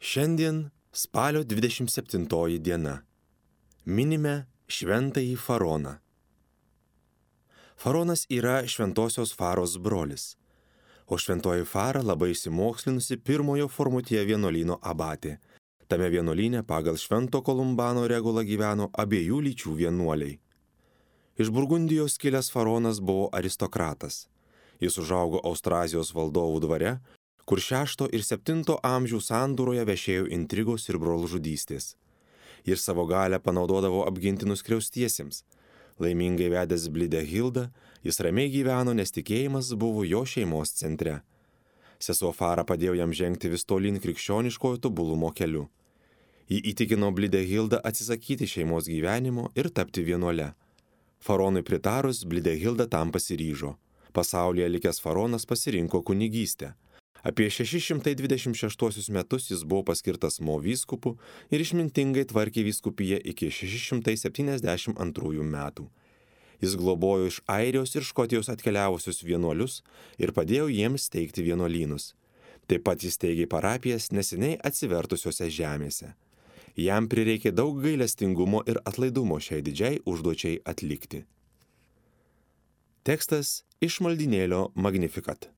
Šiandien spalio 27 diena. Minime šventąjį Faroną. Faronas yra šventosios Faros brolis, o šventoji Fara labai išsimokslinusi pirmojo Formutije vienuolyno abatė. Tame vienuolyne pagal švento Kolumbano regulą gyveno abiejų lyčių vienuoliai. Iš Burgundijos kilęs Faronas buvo aristokratas. Jis užaugo Austrazijos valdovų dvare, kur 6 ir 7 amžių sandūroje vešėjo intrigos ir brolžudystės. Jis savo galę panaudodavo apginti nuskriaustiesiems. Laimingai vedęs Blidehildą, jis ramiai gyveno, nes tikėjimas buvo jo šeimos centre. Sesuo Fara padėjo jam žengti vis tolyn krikščioniškojo tobulumo keliu. Ji įtikino Blidehildą atsisakyti šeimos gyvenimo ir tapti vienuole. Faronui pritarus, Blidehilda tam pasiryžo. Pasaulyje likęs Faronas pasirinko kunigystę. Apie 626 metus jis buvo paskirtas Mo vyskupu ir išmintingai tvarkė vyskupiją iki 672 metų. Jis globojo iš Airijos ir Škotijos atkeliavusius vienuolius ir padėjo jiems steigti vienuolynus. Taip pat jis steigė parapijas neseniai atsivertusiose žemėse. Jam prireikė daug gailestingumo ir atlaidumo šiai didžiai užduočiai atlikti. Tekstas iš maldynėlio Magnificat.